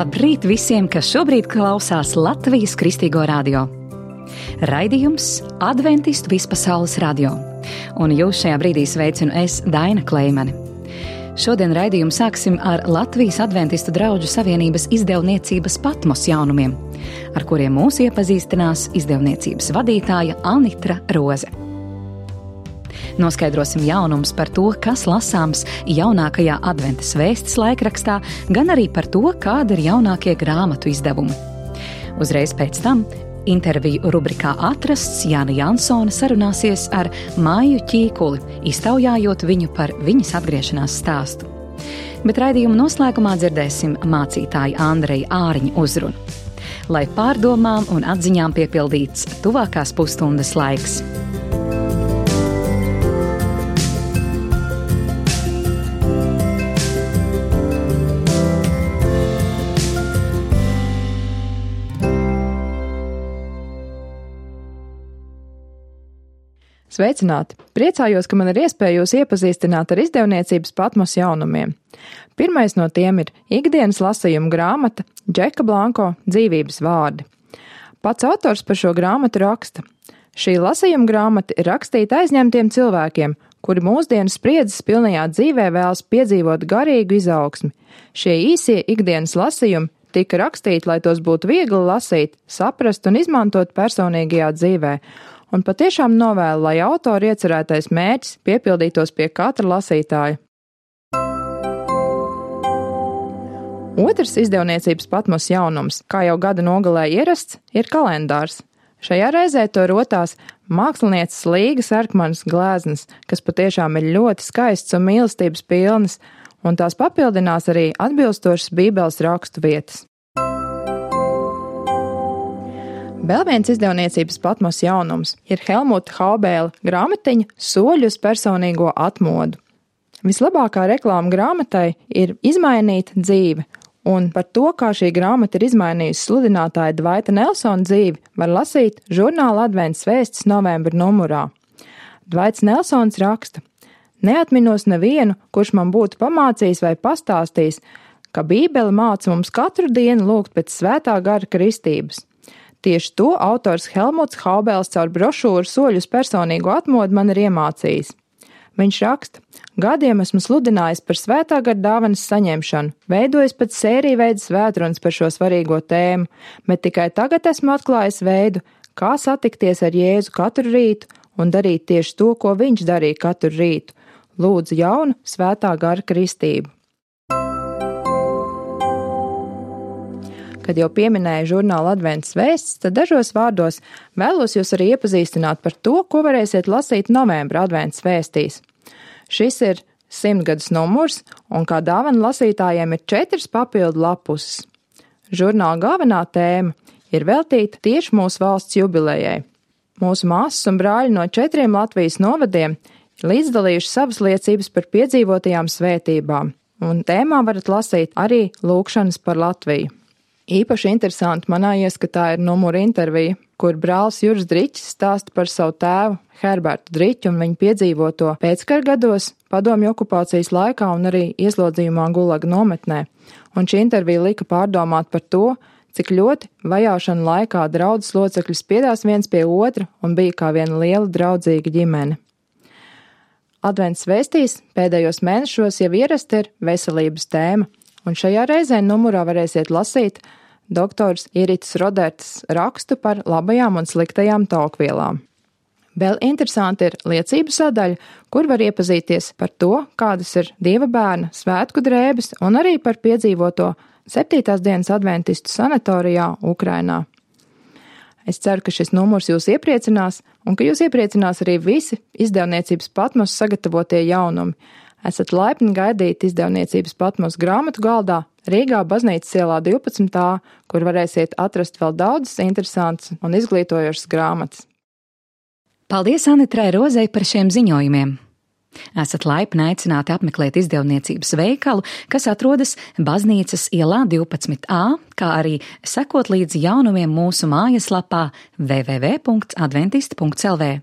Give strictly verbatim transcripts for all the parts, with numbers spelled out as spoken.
Labrīt visiem, kas šobrīd klausās Latvijas Kristīgo radio. Raidījums Adventistu vispasaules radio. Un jūs šajā brīdī sveicinu es, Daina Kleimane. Šodien raidījumu sāksim ar Latvijas Adventistu draugu savienības izdevniecības Patmos jaunumiem, ar kuriem mūs iepazīstinās izdevniecības vadītāja Anitra Roze. Noskaidrosim jaunumus par to, kas lasāms jaunākajā adventas vēstis laikrakstā, gan arī par to, kāda ir jaunākie grāmatu izdevumi. Uzreiz pēc tam interviju rubrikā Atrasts Jāna Jansone sarunāsies ar Maiju Ķīkuli, iztaujājot viņu par viņas atgriešanās stāstu. Bet raidījuma noslēgumā dzirdēsim mācītāju Andreja Āriņa uzrunu. Lai pārdomām un atziņām piepildīts tuvākās pusstundas laiks. Sveicināti! Priecājos, ka man ir iespēja jūs iepazīstināt ar izdevniecības Patmos jaunumiem. Pirmais no tiem ir ikdienas lasījuma grāmata Džeka Blanko dzīvības vārdi. Pats autors par šo grāmatu raksta. Šī lasījuma grāmata ir rakstīta aizņemtiem cilvēkiem, kuri mūsdienu spriedzes pilnajā dzīvē vēlas piedzīvot garīgu izaugsmi. Šie īsie ikdienas lasījumi tika rakstīti, lai tos būtu viegli lasīt, saprast un izmantot personīgajā dzīvē. Un patiešām novēlu, lai autora iecerētais mērķis piepildītos pie katra lasītāja. Otrs izdevniecības Patmos jaunums, kā jau gada nogalē ierasts, ir kalendārs. Šajā reizē to rotās mākslinieces Līgas Erkmanas gleznas, kas patiešām ir ļoti skaists un mīlestības pilnas, un tās papildinās arī atbilstošas Bībeles rakstu vietas. Vēl viens izdevniecības Patmos jaunums ir Helmuta Haubēla grāmatiņa Soļi uz personīgo atmodu. Vislabākā reklāma grāmatai ir izmainīta dzīve, un par to, kā šī grāmata ir izmainījusi sludinātāja Dvaita Nelsona dzīvi, var lasīt žurnāla Advents vēstis novembra numurā. Dvaits Nelsons raksta: Neatminos nevienu, kurš man būtu pamācījis vai pastāstījis, ka Bībele māca mums katru dienu lūgt pēc svētā gara kristības. Tieši to autors Helmuts Haubēls caur brošūru Soļi uz personīgo atmodu man ir iemācījis. Viņš raksta: Gadiem esmu sludinājis par svētā gara dāvanas saņemšanu, veidojis pat sēriju veidu svētrunas par šo svarīgo tēmu, bet tikai tagad esmu atklājis veidu, kā satikties ar Jēzu katru rītu un darīt tieši to, ko viņš darīja katru rītu. Lūdzu jaunu svētā gara kristību. Kad jau pieminēju žurnāla Advents vēstis, tad dažos vārdos vēlos jūs arī iepazīstināt par to, ko varēsiet lasīt novembra Advents vēstīs. Šis ir simtgadus numurs, un kā dāvana lasītājiem ir četras papildu lapuses. Žurnāla galvenā tēma ir veltīta tieši mūsu valsts jubilejai. Mūsu māsas un brāļi no četriem Latvijas novadiem ir līdzdalījuši savas liecības par piedzīvotajām svētībām, un tēmā varat lasīt arī lūkšanas par Latviju. Īpaši interesanti manā ieskatā ir numura intervija, kur brālis Juris Driķis stāsta par savu tēvu Herbertu Driķu un viņu piedzīvoto pēckara gados, padomju okupācijas laikā un arī ieslodzījumā Gulaga nometnē. Un šī intervija lika pārdomāt par to, cik ļoti vajāšana laikā draudzes locekļi spiedās viens pie otra un bija kā viena liela draudzīga ģimene. Advents vēstīs pēdējos mēnešos jau ierasta ir veselības tēma. Un šajā reizē numurā varēsiet lasīt doktors Iritas Rodertas rakstu par labajām un sliktajām taukvielām. Vēl interesanti ir liecību sadaļa, kur var iepazīties par to, kādas ir Dieva bērna svētku drēbes un arī par piedzīvoto septītās dienas adventistu sanatorijā Ukrainā. Es ceru, ka šis numurs jūs iepriecinās un ka jūs iepriecinās arī visi izdevniecības Patmos sagatavotie jaunumi. Esat laipni gaidīti izdevniecības Patmos grāmatu galdā Rīgā Baznīcas ielā divpadsmit A, kur varēsiet atrast vēl daudzas interesantas un izglītojošas grāmatas. Paldies Anitrai Rozei par šiem ziņojumiem! Esat laipni aicināti apmeklēt izdevniecības veikalu, kas atrodas Baznīcas ielā divpadsmit A, kā arī sekot līdzi jaunumiem mūsu mājaslapā w w w punkts adventisti punkts l v.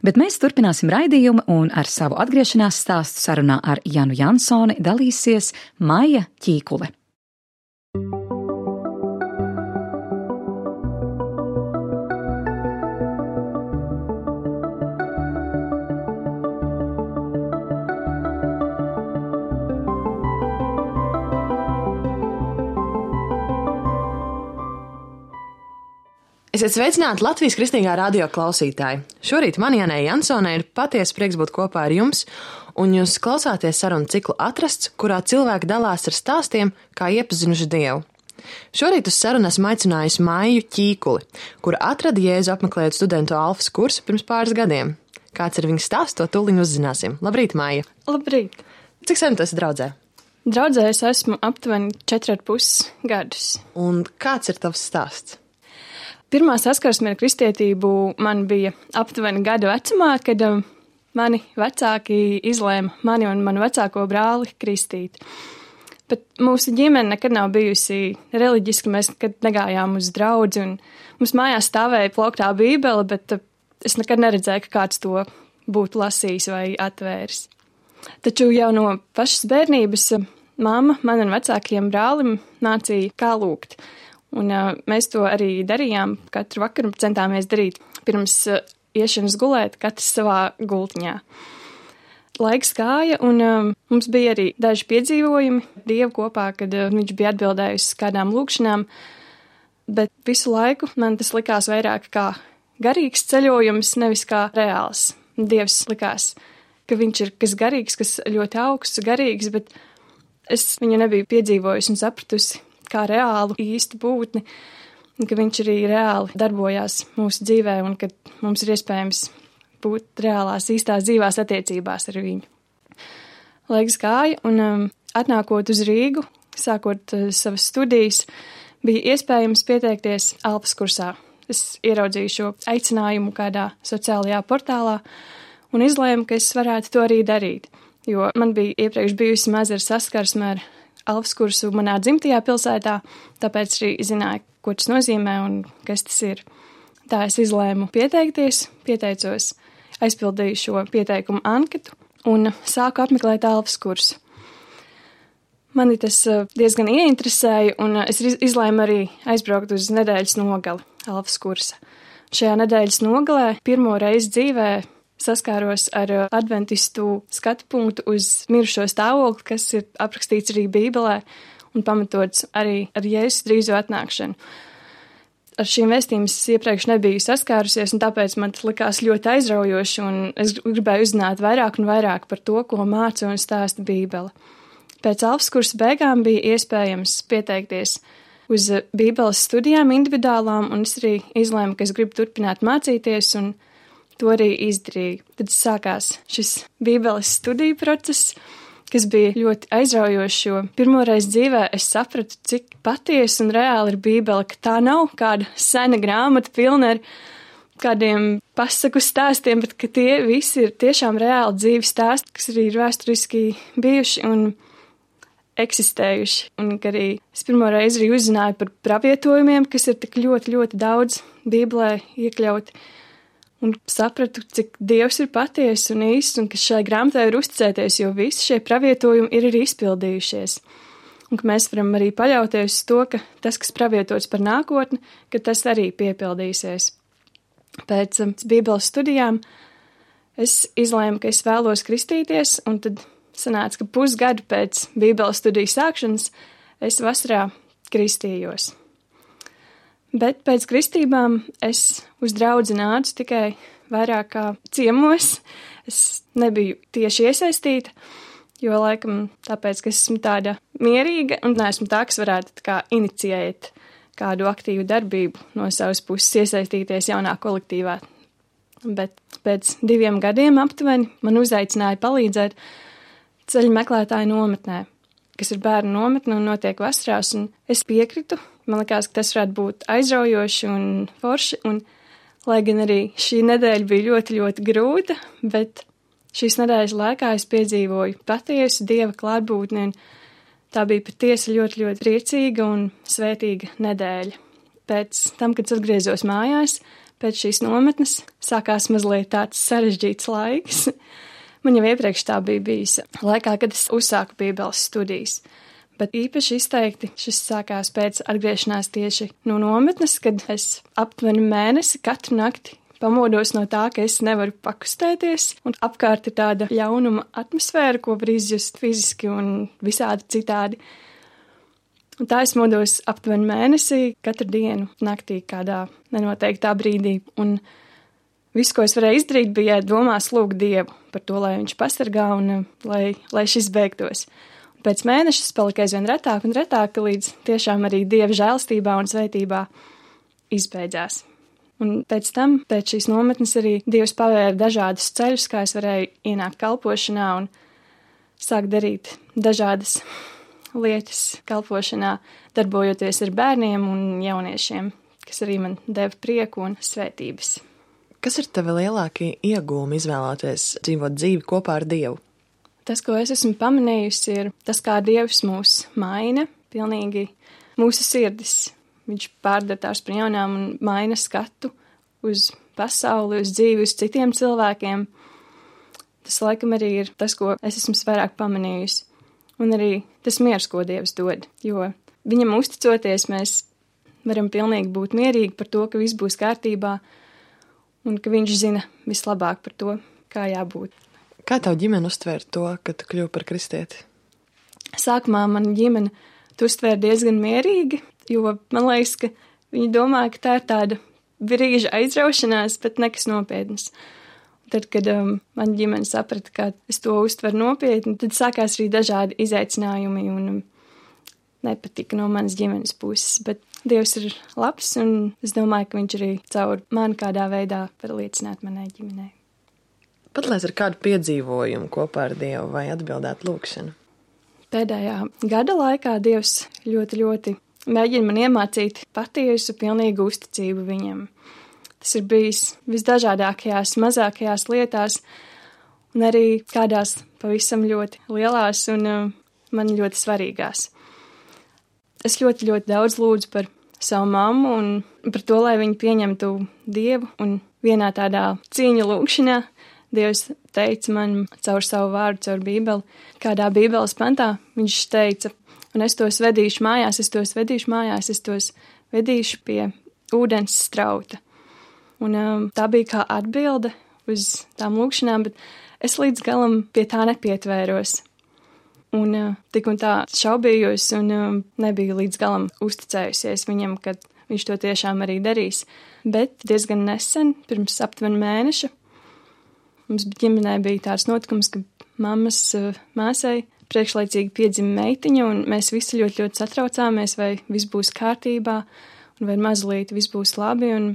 Bet mēs turpināsim raidījumu un ar savu atgriešanās stāstu sarunā ar Jānu Jansoni dalīsies Maija Ķīkule. Esiet sveicināti Latvijas Kristīgā radio klausītāji. Šorīt man Janai Jansonai ir patiesi prieks būt kopā ar jums, un jūs klausāties sarunu ciklu Atrasts, kurā cilvēki dalās ar stāstiem, kā iepazinuši Dievu. Šorīt uz sarunu esmu aicinājusi Maiju Ķīkuli, kura atrada Jēzu apmeklējot studentu alfas kursu pirms pāris gadiem. Kāds ir viņas stāsts, to tūliņ uzzināsim. Labrīt, Maija! Labrīt! Cik sen tu esi draudzē? Draudzē es esmu aptuveni četri ar pus gadus. Un kāds ir tavs stāsts? Pirmā saskarsme ar kristietību man bija aptuveni gadu vecumā, kad mani vecāki izlēma mani un manu vecāko brāli kristīt. Bet mūsu ģimene nekad nav bijusi reliģiska, mēs nekad negājām uz draudzi, un mums mājās stāvēja plauktā bībele, bet es nekad neredzēju, ka kāds to būtu lasījis vai atvēris. Taču jau no pašas bērnības mamma man un vecākajiem brālim mācīja, kā lūgt. Un uh, mēs to arī darījām, katru vakaru centāmies darīt pirms uh, iešanas gulēt, katrs savā gultiņā. Laiks gāja, un uh, mums bija arī daži piedzīvojumi Dievu kopā, kad uh, viņš bija atbildējis kādām lūkšanām, bet visu laiku man tas likās vairāk kā garīgs ceļojums, nevis kā reāls. Dievs likās, ka viņš ir kas garīgs, kas ļoti augsts, garīgs, bet es viņu nebiju piedzīvojusi un sapratusi kā reālu īstu būtni, un ka viņš arī reāli darbojās mūsu dzīvē, un ka mums ir iespējams būt reālās īstās dzīvās attiecībās ar viņu. Laiks gāja, un um, atnākot uz Rīgu, sākot uh, savas studijas, bija iespējams pieteikties alfas kursā. Es ieraudzīju šo aicinājumu kādā sociālajā portālā un izlēmu, ka es varētu to arī darīt, jo man bija iepriekš bijusi maza saskarsme ar alfas kursu manā dzimtajā pilsētā, tāpēc arī zināju, ko tas nozīmē un kas tas ir. Tā es izlēmu pieteikties, pieteicos, aizpildīju šo pieteikumu anketu un sāku apmeklēt alfas kursu. Mani tas diezgan ieinteresēja, un es izlēmu arī aizbraukt uz nedēļas nogali alfas kursa. Šajā nedēļas nogalē pirmo reizi dzīvē saskāros ar adventistu skatu punktu uz mirušo stāvokli, kas ir aprakstīts arī Bībelē un pamatots arī ar Jēzus drīzo atnākšanu. Ar šīm vēstījumiem es iepriekš nebiju saskārusies, un tāpēc man tas likās ļoti aizraujoši, un es gribēju uzzināt vairāk un vairāk par to, ko māca un stāsta Bībele. Pēc alfas kursa beigām bija iespējams pieteikties uz Bībeles studijām individuālām, un es arī izlēmu, ka es gribu turpināt mācīties, un to arī izdarīju. Tad sākās šis Bībeles studiju process, kas bija ļoti aizraujošs, jo pirmoreiz dzīvē es sapratu, cik patiesi un reāli ir Bībele, ka tā nav kāda sena grāmata pilna ar kādiem pasaku stāstiem, bet ka tie visi ir tiešām reāli dzīvi stāsti, kas arī ir vēsturiski bijuši un eksistējuši. Un ka arī es pirmoreiz arī uzzināju par pravietojumiem, kas ir tik ļoti, ļoti daudz Bībelē iekļauti, un sapratu, cik Dievs ir patiesa un īsts, un ka šai grāmatai ir uzticēties, jo visi šie pravietojumi ir arī izpildījušies. Un ka mēs varam arī paļauties uz to, ka tas, kas pravietots par nākotni, ka tas arī piepildīsies. Pēc um, Bībeles studijām es izlēmu, ka es vēlos kristīties, un tad sanāca, ka pusgadu pēc Bībeles studiju sākšanas es vasarā kristījos. Bet pēc kristībām es uz draudzi nācu tikai vairāk kā ciemos. Es nebiju tieši iesaistīta, jo laikam tāpēc, ka esmu tāda mierīga un neesmu tā, kas varētu tā kā inicijēt kādu aktīvu darbību no savas puses iesaistīties jaunā kolektīvā. Bet pēc diviem gadiem aptuveni man uzaicināja palīdzēt ceļu meklētāju nometnē, kas ir bērnu nometne un notiek vasarās, un es piekritu. Man likās, ka tas varētu būt aizraujoši un forši, un lai gan arī šī nedēļa bija ļoti, ļoti grūta, bet šīs nedēļas laikā es piedzīvoju patiesu Dieva klātbūtni, un tā bija patiesi ļoti, ļoti priecīga un svētīga nedēļa. Pēc tam, kad atgriezos mājās, pēc šīs nometnes, sākās mazliet tāds sarežģīts laiks. Man jau iepriekš tā bija bijis laikā, kad es uzsāku Bībeles studijas. Bet īpaši izteikti šis sākās pēc atgriešanās tieši no nometnes, kad es aptuveni mēnesi katru nakti pamodos no tā, ka es nevaru pakustēties, un apkārt ir tāda ļaunuma atmosfēra, ko var izjust fiziski un visādi citādi. Un tā es modos aptuveni mēnesī, katru dienu naktī kādā nenoteiktā brīdī. Un viss, ko es varēju izdarīt, bija domās lūgt Dievu par to, lai viņš pasargā un lai, lai šis beigtos. Un pēc mēneša es paliku aizvien retāk un retāk, līdz tiešām arī Dieva žēlstībā un svētībā izbeidzās. Un pēc tam, pēc šīs nometnes arī Dievs pavēra dažādus ceļus, kā es varēju ienākt kalpošanā un sākt darīt dažādas lietas kalpošanā, darbojoties ar bērniem un jauniešiem, kas arī man deva prieku un svētības. Kas ir tavi lielākie iegūmi izvēloties dzīvot dzīvi kopā ar Dievu? Tas, ko es esmu pamanījusi, ir tas, kā Dievs mūs maina, pilnīgi mūsu sirdis. Viņš pārdara tās par jaunām un maina skatu uz pasauli, uz dzīvi, uz citiem cilvēkiem. Tas laikam arī ir tas, ko es esmu vairāk pamanījusi. Un arī tas miers, ko Dievs dod, jo viņam uzticoties, mēs varam pilnīgi būt mierīgi par to, ka viss būs kārtībā un ka viņš zina vislabāk par to, kā jābūt. Kā tavu ģimeni uztvēra to, ka tu kļuvi par kristieti? Sākumā man ģimene tu uztvēra diezgan mierīgi, jo man liekas, ka viņi domā, ka tā ir tāda brīža aizraušanās, bet nekas nopietnas. Tad, kad um, man ģimene saprata, ka es to uztveru nopietni, tad sākās arī dažādi izaicinājumi un um, nepatika no manas ģimenes puses. Bet Dievs ir labs, un es domāju, ka viņš arī caur mani kādā veidā var liecināt manai ģimenei. Padalies ar kādu piedzīvojumu kopā ar Dievu vai atbildēt lūgšanu? Pēdējā gada laikā Dievs ļoti, ļoti mēģina man iemācīt patiesu, pilnīgu uzticību viņam. Tas ir bijis visdažādākajās, mazākajās lietās, un arī kādās pavisam ļoti lielās un uh, man ļoti svarīgās. Es ļoti, ļoti daudz lūdzu par savu mammu un par to, lai viņa pieņemtu Dievu, un vienā tādā cīņa lūgšanā Dievs teica man caur savu vārdu, caur Bībeli, kādā Bībeles pantā viņš teica, un es tos vedīšu mājās, es tos vedīšu mājās, es tos vedīšu pie ūdens strauta. Un um, tā bija kā atbilde uz tām lūkšanām, bet es līdz galam pie tā nepietvēros. Un uh, tik un tā šaubījos un um, nebiju līdz galam uzticējusies viņam, kad viņš to tiešām arī darīs. Bet diezgan nesen, pirms aptuveni mēneša, mums ģimenē bija tāds notikums, ka mammas uh, māsai priekšlaicīgi piedzima meitiņa, un mēs visi ļoti, ļoti satraucāmies, vai viss būs kārtībā, un vai mazliet viss būs labi, un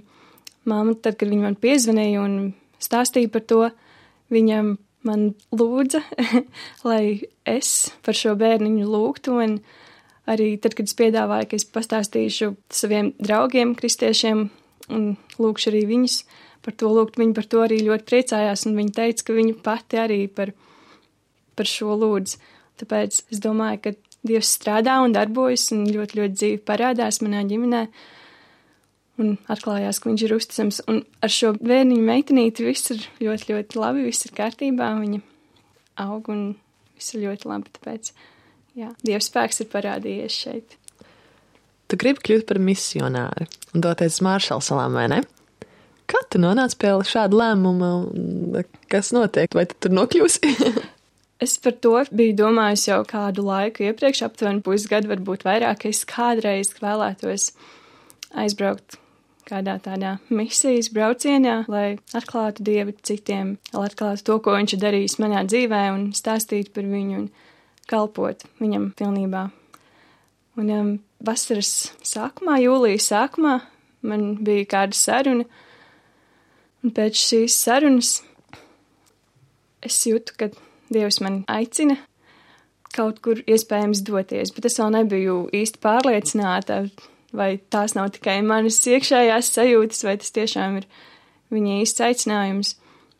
māma, tad, kad viņa man piezvanīja un stāstīja par to, viņa man lūdza, lai es par šo bērniņu lūgtu, un arī tad, kad es piedāvāju, ka es pastāstīšu saviem draugiem, kristiešiem, un lūgšu arī viņus par to lūgt, viņi par to arī ļoti priecājās, un viņa teica, ka viņa pati arī par, par šo lūdz. Tāpēc es domāju, ka Dievs strādā un darbojas, un ļoti, ļoti dzīvi parādās manā ģimenē, un atklājās, ka viņš ir uzticams. Un ar šo bērniņu meitenīti viss ir ļoti, ļoti labi, viss ir kārtībā, viņa aug un viss ir ļoti labi, tāpēc, jā, Dieva spēks ir parādījies šeit. Tu gribi kļūt par misionāri un doties uz Maršalu salām, vai ne? Kā tu nonāc pie šāda lēmuma? Kas notiek? Vai tu tur nokļūsi? Es par to biju domājusi jau kādu laiku iepriekš, aptuveni pusgadu, varbūt vairāk, es kādreiz vēlētos aizbraukt kādā tādā misijas braucienā, lai atklātu Dievu citiem, lai atklātu to, ko viņš ir darījis manā dzīvē un stāstītu par viņu un kalpot viņam pilnībā. Un um, vasaras sākumā, jūlijas sākumā, man bija kāda saruna, un pēc šīs sarunas es jūtu, ka Dievs man aicina kaut kur iespējams doties, bet es vēl nebiju īsti pārliecināta, vai tās nav tikai manas iekšējās sajūtas, vai tas tiešām ir viņa īsts aicinājums.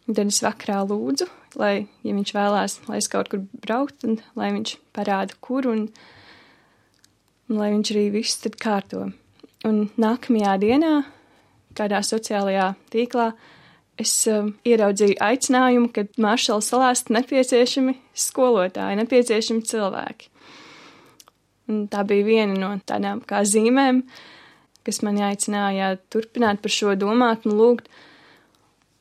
Un tad es vakarā lūdzu, lai, ja viņš vēlās, lai es kaut kur braukt, un lai viņš parāda, kur, un, un lai viņš arī visu tad kārto. Un nākamajā dienā, kādā sociālajā tīklā, es uh, ieraudzīju aicinājumu, ka Maršala salās nepieciešami skolotāji, nepieciešami cilvēki. Un tā bija viena no tādām kā zīmēm, kas mani aicināja turpināt par šo domāt un lūgt.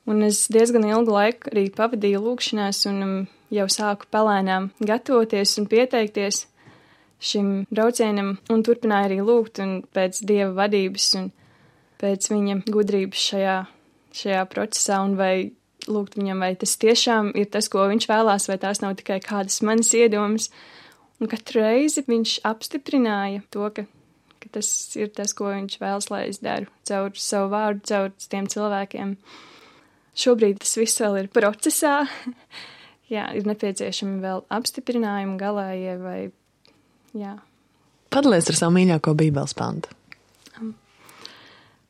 Un es diezgan ilgu laiku arī pavadīju lūgšanās un um, jau sāku palēnām gatavoties un pieteikties šim braucienam un turpināju arī lūgt un pēc Dieva vadības un pēc viņa gudrības šajā, šajā procesā un vai lūgt viņam, vai tas tiešām ir tas, ko viņš vēlās, vai tās nav tikai kādas manas iedomas. Un katru reizi viņš apstiprināja to, ka, ka tas ir tas, ko viņš vēlas, lai es daru caur savu vārdu, caur tiem cilvēkiem. Šobrīd tas viss vēl ir procesā. Jā, ir nepieciešami vēl apstiprinājumi galējie vai, jā. Padalies ar savu mīļāko bībeles pantu.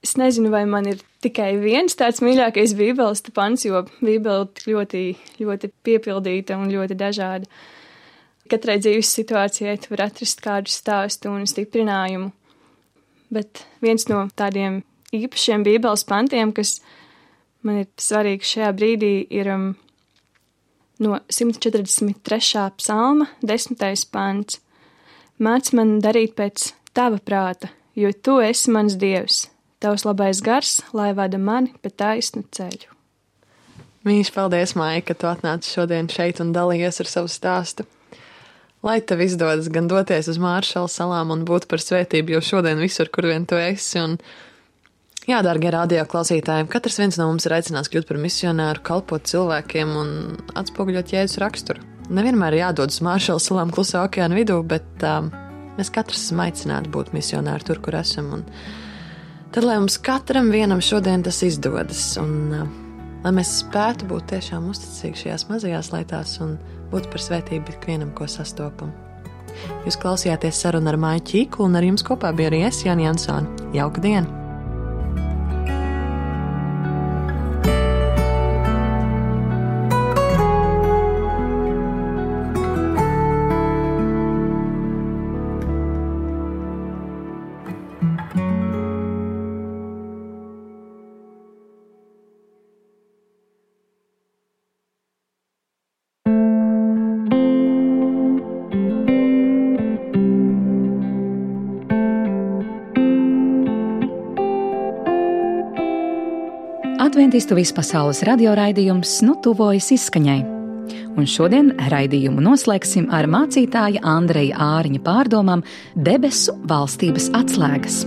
Es nezinu, vai man ir tikai viens tāds mīļākais bībeles pants, jo bībele ir ļoti, ļoti piepildīta un ļoti dažāda. Katrai dzīves situācijai tu var atrast kādu stāstu un stiprinājumu. Bet viens no tādiem īpašiem bībeles pantiem, kas man ir svarīgs šajā brīdī, ir um, no simt četrdesmit trešā psalma desmitais pants. Māc man darīt pēc tava prāta, jo tu esi mans Dievs. Tavs labais gars, lai vada mani pa taisnu ceļu. Mīļš, paldies, Maija, ka tu atnāci šodien šeit un dalījies ar savu stāstu. Lai tev izdodas gan doties uz Māršala salām un būt par svētību, jo šodien visur, kur vien tu esi. Un, jā, dārgie radio klausītājiem, katrs viens no mums ir aicināts kļūt par misionāru, kalpot cilvēkiem un atspoguļot Jēzus raksturu. Nevienmēr jādod uz Māršala salām klusā okeāna vidū, bet um, mēs katrs esam aicināti būt misionāri tur, kur esam. Un tad, lai mums katram vienam šodien tas izdodas un uh, lai mēs spētu būt tiešām uzticīgi šajās mazajās lietās un būt par svētību ikvienam, ko sastopam. Jūs klausījāties sarunu ar Maiju Čīklu un ar jums kopā bija arī es, Jāni Jansone. Jauka diena! Adventistu vispasaules radioraidījums nu tuvojas izskaņai. Un šodien raidījumu noslēgsim ar mācītāja Andreja Āriņa pārdomām Debesu valstības atslēgas.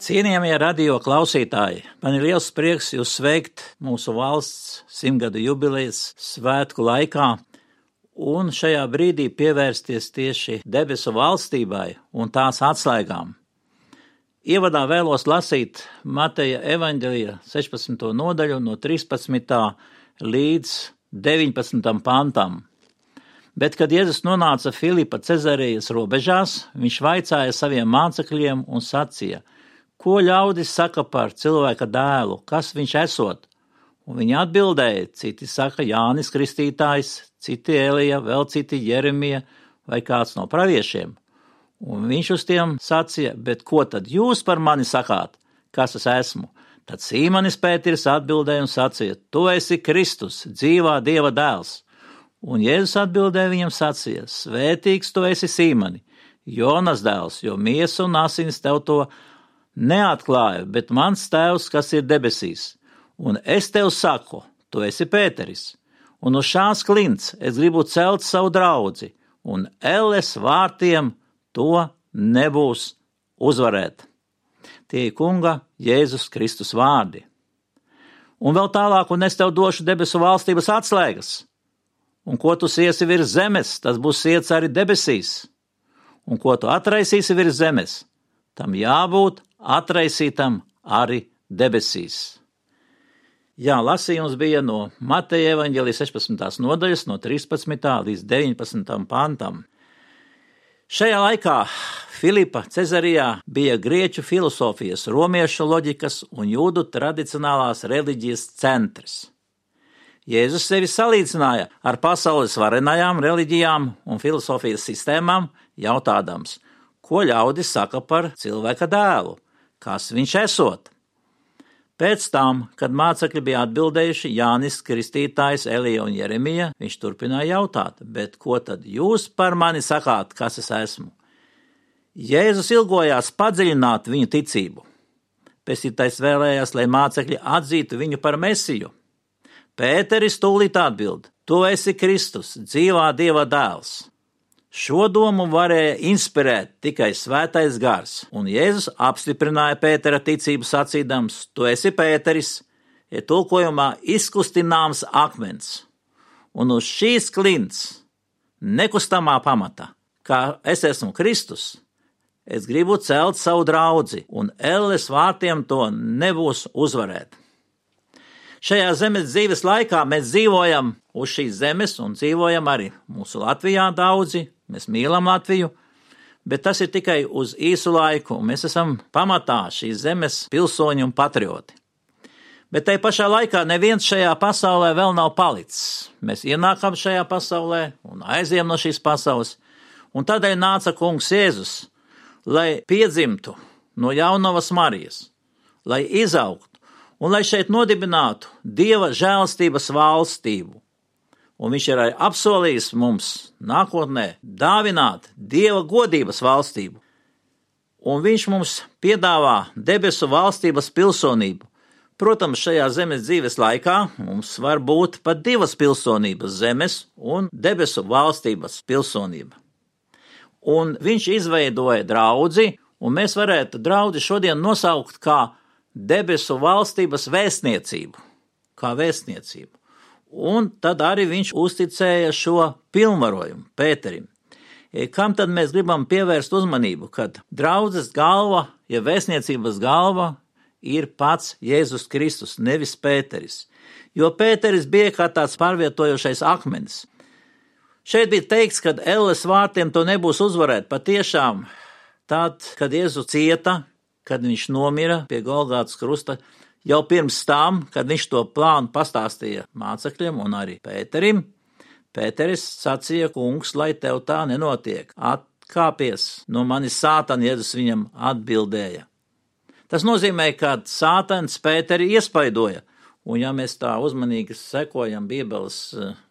Cienījamie radio klausītāji, man ir liels prieks jūs sveikt mūsu valsts simtgadu jubilejas svētku laikā un šajā brīdī pievērsties tieši debesu valstībai un tās atslēgām. Ievadā vēlos lasīt Mateja evaņģelija sešpadsmito nodaļu no trīspadsmitā līdz deviņpadsmitam pantam. Bet, kad Jēzus nonāca Filipa Cezarējas robežās, viņš vaicāja saviem mācekļiem un sacīja: ko ļaudis saka par cilvēka dēlu, kas viņš esot? Un viņi atbildēja, citi saka Jānis Kristītājs, citi Elija, vēl citi Jeremija vai kāds no praviešiem. Un viņš uz tiem sacīja: bet ko tad jūs par mani sakāt, kas es esmu? Tad Sīmanis Pēteris atbildēja un sacīja: tu esi Kristus, dzīvā Dieva dēls. Un Jēzus atbildēja viņam sacīja: svētīgs tu esi Sīmani, Jonas dēls, jo miesa un asins tev to neatklāja, bet mans tēvs, kas ir debesīs. Un es tev saku, tu esi Pēteris, un uz šās klints es gribu celt savu draudzi, un elles vārtiem to nebūs uzvarēt. Tie ir kunga Jēzus Kristus vārdi. Un vēl tālāk, un es tev došu debesu valstības atslēgas, un ko tu siesi virs zemes, tas būs siets arī debesīs, un ko tu atraisīsi virs zemes, tam jābūt atraisītam arī debesīs. Jā, lasījums bija no Mateja evaņģelija sešpadsmitās nodaļas no trīspadsmitā līdz deviņpadsmitam pantam. Šajā laikā Filipa Cezarijā bija grieķu filosofijas, romiešu loģikas un jūdu tradicionālās reliģijas centrs. Jēzus sevi salīdzināja ar pasaules varenajām reliģijām un filosofijas sistēmām, jautādams, ko ļaudis saka par cilvēka dēlu, kas viņš esot. Pēc tam, kad mācekļi bija atbildējuši, Jānis Kristītājs, Elija un Jeremija, viņš turpināja jautāt, bet ko tad jūs par mani sakāt, kas es esmu? Jēzus ilgojās padziļināt viņu ticību. Pestītājs vēlējās, lai mācekļi atzītu viņu par Mesiju. Pēteris tūlīt atbild, tu esi Kristus, dzīvā Dieva dēls. Šo domu varēja inspirēt tikai Svētais Gars, un Jēzus apstiprināja Pētera ticību sacīdams, tu esi Pēteris, ir tulkojumā izkustināms akmens, un uz šīs klints, nekustamā pamata, kā es esmu Kristus, es gribu celt savu draudzi, un elles vārtiem to nebūs uzvarēt. Šajā zemes dzīves laikā mēs dzīvojam uz šīs zemes un dzīvojam arī mūsu Latvijā daudzi, mēs mīlam Latviju, bet tas ir tikai uz īsu laiku, un mēs esam pamatā šīs zemes pilsoņi un patrioti. Bet tai pašā laikā neviens šajā pasaulē vēl nav palicis. Mēs ienākam šajā pasaulē un aiziem no šīs pasaules, un tādēļ nāca kungs Jēzus, lai piedzimtu no jaunavas Marijas, lai izaugtu, un lai šeit nodibinātu Dieva žēlstības valstību. Un viņš ir arī apsolījis mums nākotnē dāvināt Dieva godības valstību. Un viņš mums piedāvā debesu valstības pilsonību. Protams, šajā zemes dzīves laikā mums var būt pat divas pilsonības, zemes un debesu valstības pilsonība. Un viņš izveidoja draudzi, un mēs varētu draudzi šodien nosaukt kā debesu valstības vēstniecību, kā vēstniecību. Un tad arī viņš uzticēja šo pilnvarojumu Pēterim. Kam tad mēs gribam pievērst uzmanību, kad draudzes galva, ja vēstniecības galva, ir pats Jēzus Kristus, nevis Pēteris. Jo Pēteris bija kā tāds pārvietojošais akmenis. Šeit bija teikts, ka elles vārtiem to nebūs uzvarēt. Patiešām, tad, kad Jēzus cieta, kad viņš nomira pie Golgātas krusta, jau pirms tam, kad viņš to plānu pastāstīja mācekļiem un arī Pēterim, Pēteris sacīja, kungs, lai tev tā nenotiek, atkāpies no manis Sātana, Jēzus viņam atbildēja. Tas nozīmē, ka Sātans Pēteri iespaidoja, un ja mēs tā uzmanīgi sekojam Bībeles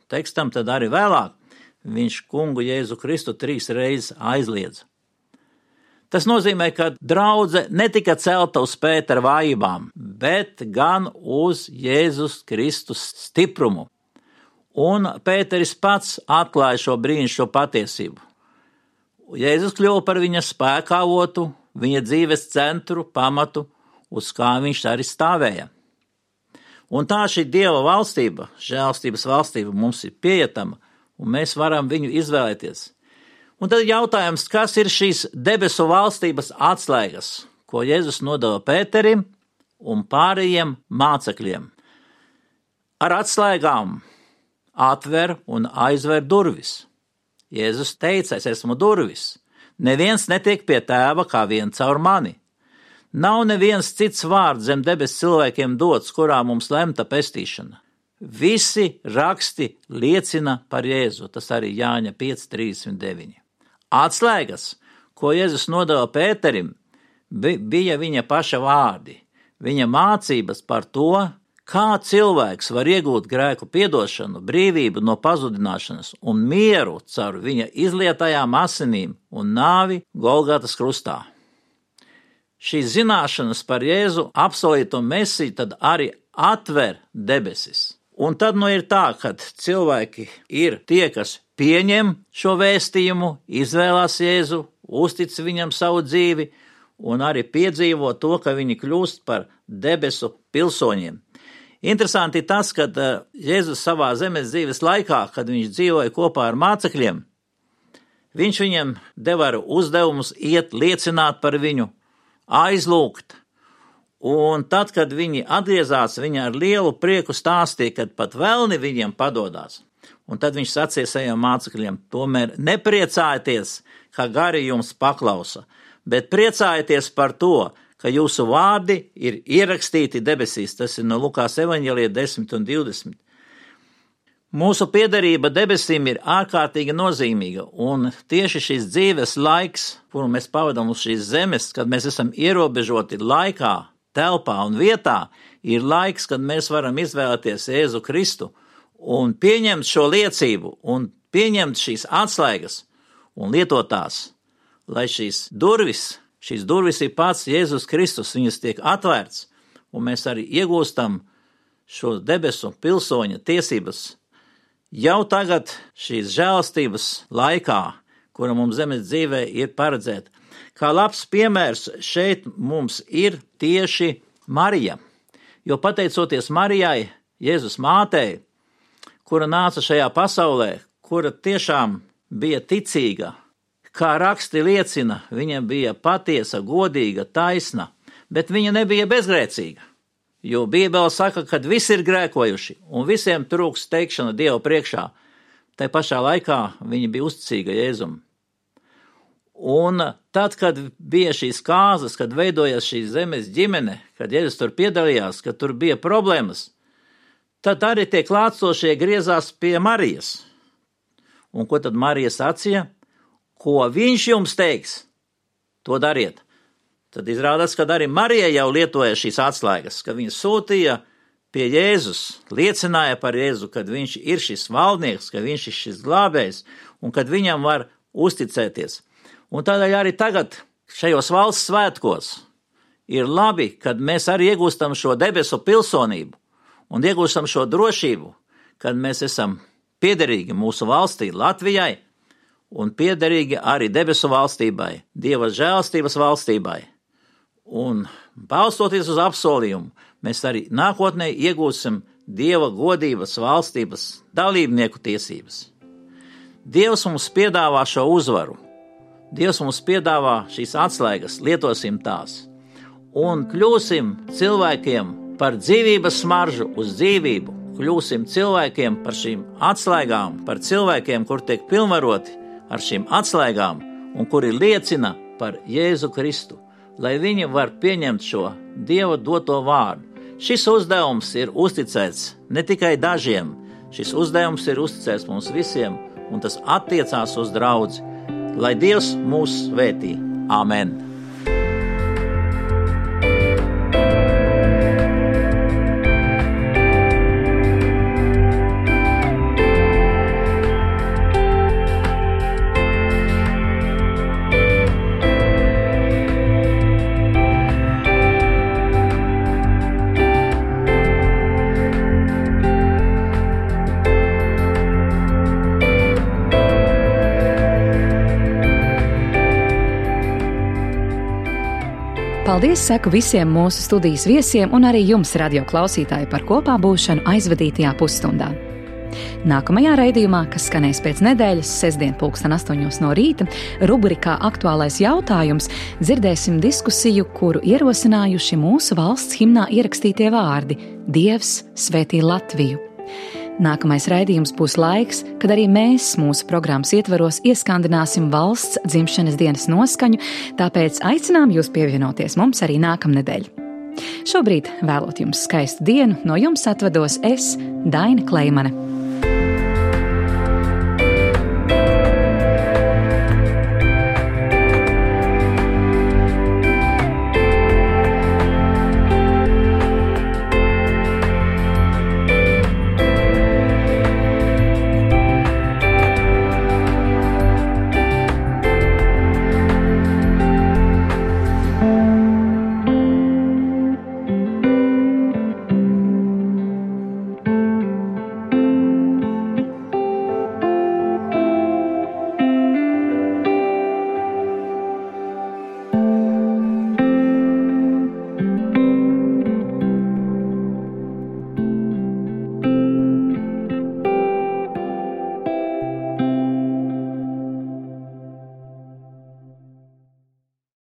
tekstam, tad arī vēlāk viņš kungu Jēzu Kristu trīs reizes aizliedza. Tas nozīmē, ka draudze netika celta uz Pētera vājībām, bet gan uz Jēzus Kristus stiprumu. Un Pēteris pats atklāja šo brīnišķīgo patiesību. Jēzus kļuva par viņa spēka avotu, viņa dzīves centru, pamatu, uz kā viņš arī stāvēja. Un tā šī Dieva valstība, žēlstības valstība mums ir pieejama, un mēs varam viņu izvēlēties. Un tad jautājums, kas ir šīs debesu valstības atslēgas, ko Jēzus nodeva Pēterim un pārējiem mācekļiem. Ar atslēgām atver un aizver durvis. Jēzus teica, es esmu durvis. Neviens netiek pie tēva kā vien caur mani. Nav neviens cits vārds zem debes cilvēkiem dots, kurā mums lemta pestīšana. Visi raksti liecina par Jēzu, tas arī Jāņa pieci trīsdesmit deviņi. Atslēgas, ko Jēzus nodeva Pēterim, bija viņa paša vārdi, viņa mācības par to, kā cilvēks var iegūt grēku piedošanu, brīvību no pazudināšanas un mieru caur viņa izlietajām asinīm un nāvi Golgatas krustā. Šīs zināšanas par Jēzu apsolīto Mesiju tad arī atver debesis. Un tad nu ir tā, ka cilvēki ir tie, kas pieņem šo vēstījumu, izvēlās Jēzu, uztic viņam savu dzīvi un arī piedzīvo to, ka viņi kļūst par debesu pilsoņiem. Interesanti ir tas, ka Jēzus savā zemes dzīves laikā, kad viņš dzīvoja kopā ar mācekļiem, viņš viņiem deva uzdevumus iet liecināt par viņu, aizlūgt. Un tad, kad viņi atgriezās, viņi ar lielu prieku stāstīja, kad pat velni viņiem padodās. Un tad viņš sacīja saviem mācekļiem, tomēr nepriecājieties, ka gari jums paklausa, bet priecājieties par to, ka jūsu vārdi ir ierakstīti debesīs. Tas ir no Lukās evaņģēlija desmit un divdesmit. Mūsu piederība debesīm ir ārkārtīgi nozīmīga, un tieši šis dzīves laiks, kuru mēs pavadām uz šīs zemes, kad mēs esam ierobežoti laikā, telpā un vietā, ir laiks, kad mēs varam izvēlēties Jēzu Kristu un pieņemt šo liecību un pieņemt šīs atslēgas un lietot tās, lai šīs durvis, šīs durvis ir pats Jēzus Kristus, viņas tiek atvērts, un mēs arī iegūstam šo debesu pilsoņa tiesības jau tagad šīs žēlastības laikā, kura mums zemes dzīvē ir paredzēta. Kā labs piemērs šeit mums ir tieši Marija, jo pateicoties Marijai, Jēzus mātei, kura nāca šajā pasaulē, kura tiešām bija ticīga, kā raksti liecina, viņa bija patiesa, godīga, taisna, bet viņa nebija bezgrēcīga, jo Bībele saka, ka visi ir grēkojuši un visiem trūks teikšana Dieva priekšā. Tai pašā laikā viņa bija uzticīga Jēzum. Un tad, kad bija šīs kāzas, kad veidojas šī zemes ģimene, kad Jēzus tur piedalījās, kad tur bija problēmas, tad arī tie klātsošie griezās pie Marijas. Un ko tad Marija sacīja? Ko viņš jums teiks, to dariet. Tad izrādās, ka arī Marija jau lietoja šīs atslēgas, ka viņa sūtīja pie Jēzus, liecināja par Jēzu, kad viņš ir šis valdnieks, ka viņš ir šis glābējs un kad viņam var uzticēties. Un tādēļ arī tagad šajos valsts svētkos ir labi, kad mēs arī iegūstam šo debesu pilsonību un iegūstam šo drošību, kad mēs esam piederīgi mūsu valstī Latvijai un piederīgi arī debesu valstībai, Dieva žēlastības valstībai. Un balstoties uz apsolījumu, mēs arī nākotnē iegūsim Dieva godības valstības dalībnieku tiesības. Dievs mums piedāvā šo uzvaru. Dievs mums piedāvā šīs atslēgas, lietosim tās un kļūsim cilvēkiem par dzīvības smaržu uz dzīvību, kļūsim cilvēkiem par šīm atslēgām, par cilvēkiem, kur tiek pilnvaroti ar šīm atslēgām un kuri liecina par Jēzu Kristu, lai viņi var pieņemt šo Dieva doto vārdu. Šis uzdevums ir uzticēts ne tikai dažiem, šis uzdevums ir uzticēts mums visiem, un tas attiecās uz draudzi. Lai Dievs mūs svētī. Āmen! Paldies saku visiem mūsu studijas viesiem un arī jums, radio klausītāji, par kopā būšanu aizvadītajā pusstundā. Nākamajā raidījumā, kas skanēs pēc nedēļas, sestdien pulksten astoņos no rīta, rubrikā Aktuālais jautājums, dzirdēsim diskusiju, kuru ierosinājuši mūsu valsts himnā ierakstītie vārdi – Dievs svētī Latviju. Nākamais raidījums būs laiks, kad arī mēs mūsu programmas ietvaros ieskandināsim valsts dzimšanas dienas noskaņu, tāpēc aicinām jūs pievienoties mums arī nākamnedēļ. Šobrīd vēlot jums skaistu dienu, no jums atvados es, Daina Kleimane.